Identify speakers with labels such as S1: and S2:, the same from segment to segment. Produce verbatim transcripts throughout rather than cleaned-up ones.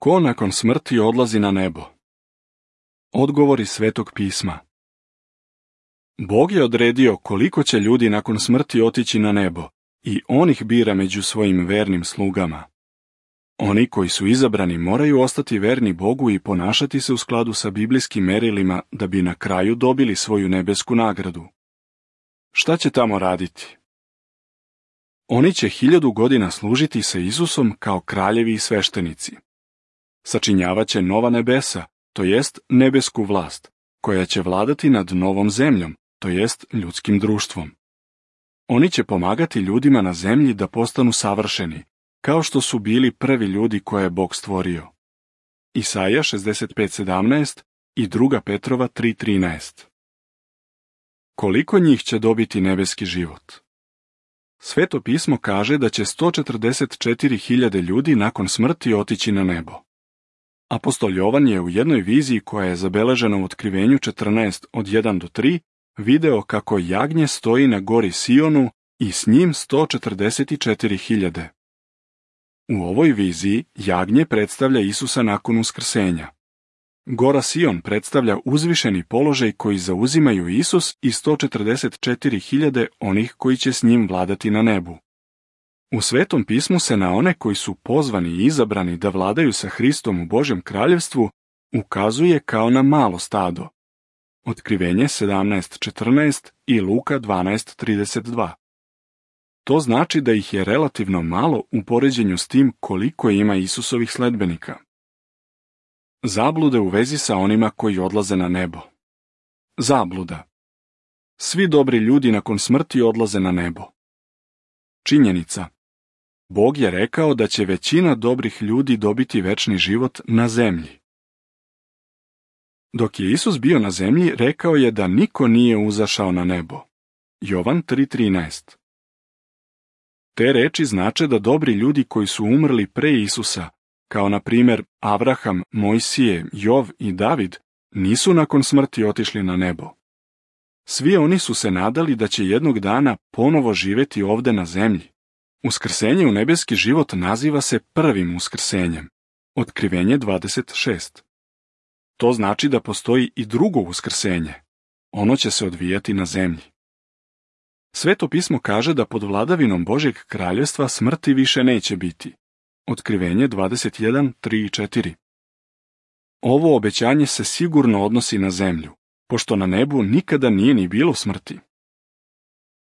S1: Ko nakon smrti odlazi na nebo? Odgovori Svetog pisma. Bog je odredio koliko će ljudi nakon smrti otići na nebo i on ih bira među svojim vernim slugama. Oni koji su izabrani moraju ostati verni Bogu i ponašati se u skladu sa biblijskim merilima da bi na kraju dobili svoju nebesku nagradu. Šta će tamo raditi? Oni će hiljadu godina služiti sa Isusom kao kraljevi i sveštenici. Sačinjavat će nova nebesa, to jest nebesku vlast, koja će vladati nad novom zemljom, to jest ljudskim društvom. Oni će pomagati ljudima na zemlji da postanu savršeni, kao što su bili prvi ljudi koje je Bog stvorio. Isaija šezdeset pet sedamnaest i druga Petrova tri trinaest. Koliko njih će dobiti nebeski život? Sveto pismo kaže da će sto četrdeset četiri hiljade ljudi nakon smrti otići na nebo. Apostol Jovan je u jednoj viziji koja je zabeležena u Otkrivenju četrnaest od jedan do tri video kako jagnje stoji na gori Sionu i s njim sto četrdeset četiri hiljade. U ovoj viziji jagnje predstavlja Isusa nakon uskrsenja. Gora Sion predstavlja uzvišeni položaj koji zauzimaju Isus i sto četrdeset četiri hiljade onih koji će s njim vladati na nebu. U Svetom pismu se na one koji su pozvani i izabrani da vladaju sa Hristom u Božjem kraljevstvu ukazuje kao na malo stado. Otkrivenje sedamnaest četrnaest i Luka dvanaest trideset dva. To znači da ih je relativno malo u poređenju s tim koliko ima Isusovih sledbenika. Zablude u vezi sa onima koji odlaze na nebo. Zabluda. Svi dobri ljudi nakon smrti odlaze na nebo. Činjenica. Bog je rekao da će većina dobrih ljudi dobiti večni život na zemlji. Dok je Isus bio na zemlji, rekao je da niko nije uzašao na nebo. Jovan tri trinaest. Te reči znače da dobri ljudi koji su umrli pre Isusa, kao na primjer Avraham, Mojsije, Jov i David, nisu nakon smrti otišli na nebo. Svi oni su se nadali da će jednog dana ponovo živjeti ovde na zemlji. Uskrsenje u nebeski život naziva se prvim uskrsenjem. Otkrivenje dvadeset šest. To znači da postoji i drugo uskrsenje. Ono će se odvijati na zemlji. Sveto pismo kaže da pod vladavinom Božjeg kraljevstva smrti više neće biti. Otkrivenje dvadeset jedan, tri i četiri. Ovo obećanje se sigurno odnosi na zemlju, pošto na nebu nikada nije ni bilo smrti.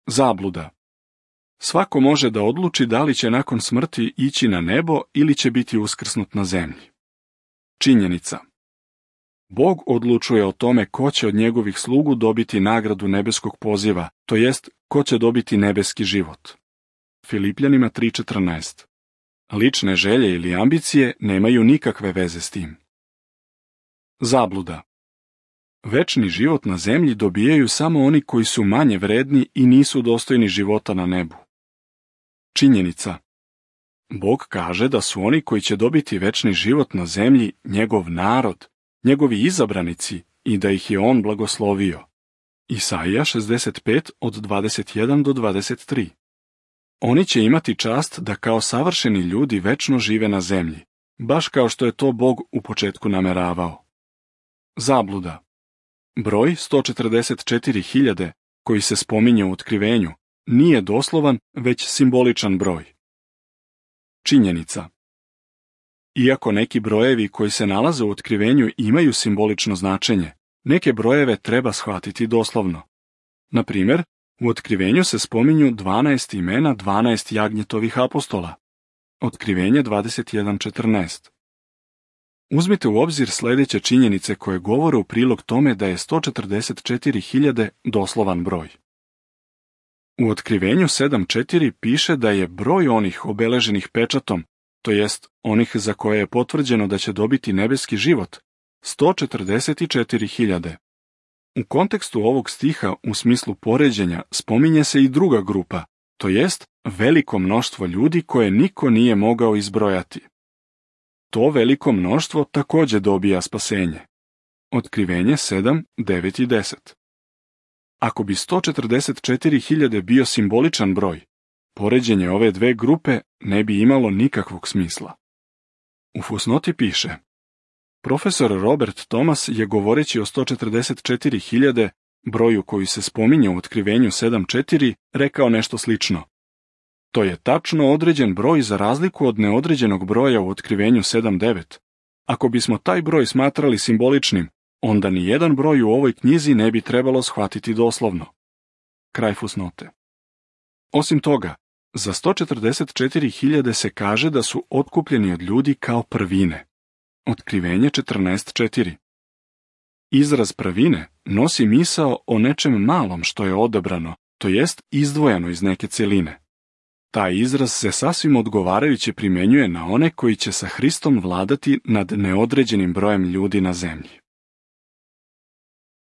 S1: Zabluda. Svako može da odluči da li će nakon smrti ići na nebo ili će biti uskrsnut na zemlji. Činjenica. Bog odlučuje o tome ko će od njegovih slugu dobiti nagradu nebeskog poziva, to jest ko će dobiti nebeski život. Filipljanima tri četrnaest. Lične želje ili ambicije nemaju nikakve veze s tim. Zabluda. Večni život na zemlji dobijaju samo oni koji su manje vredni i nisu dostojni života na nebu. Činjenica. Bog kaže da su oni koji će dobiti večni život na zemlji njegov narod, njegovi izabranici i da ih je on blagoslovio. Isaija šezdeset pet od dvadeset jedan do dvadeset tri. Oni će imati čast da kao savršeni ljudi večno žive na zemlji, baš kao što je to Bog u početku nameravao. Zabluda. Broj sto četrdeset četiri hiljade, koji se spominje u Otkrivenju, nije doslovan, već simboličan broj. Činjenica. Iako neki brojevi koji se nalaze u Otkrivenju imaju simbolično značenje, neke brojeve treba shvatiti doslovno. Na primjer, u Otkrivenju se spominju dvanaest imena dvanaest jagnjetovih apostola. Otkrivenje dvadeset jedan četrnaest. Uzmite u obzir sljedeće činjenice koje govore u prilog tome da je sto četrdeset četiri hiljade doslovan broj. U Otkrivenju sedam četiri piše da je broj onih obeleženih pečatom, to jest onih za koje je potvrđeno da će dobiti nebeski život, sto četrdeset četiri hiljade. U kontekstu ovog stiha u smislu poređenja spominje se i druga grupa, to jest veliko mnoštvo ljudi koje niko nije mogao izbrojati. To veliko mnoštvo također dobija spasenje. Otkrivenje sedam, devet i deset. Ako bi sto četrdeset četiri hiljade bio simboličan broj, poređenje ove dve grupe ne bi imalo nikakvog smisla. U fusnoti piše: Profesor Robert Thomas je govoreći o sto četrdeset četiri hiljade, broju koji se spominje u Otkrivenju sedam četiri, rekao nešto slično. To je tačno određen broj za razliku od neodređenog broja u Otkrivenju sedam devet. Ako bismo taj broj smatrali simboličnim, onda ni jedan broj u ovoj knjizi ne bi trebalo shvatiti doslovno. Kraj fusnote. Osim toga, za sto četrdeset četiri hiljade se kaže da su otkupljeni od ljudi kao prvine. Otkrivenje četrnaest četiri. Izraz prvine nosi misao o nečem malom što je odabrano, to jest izdvojeno iz neke cjeline. Taj izraz se sasvim odgovarajuće primjenjuje na one koji će sa Hristom vladati nad neodređenim brojem ljudi na zemlji.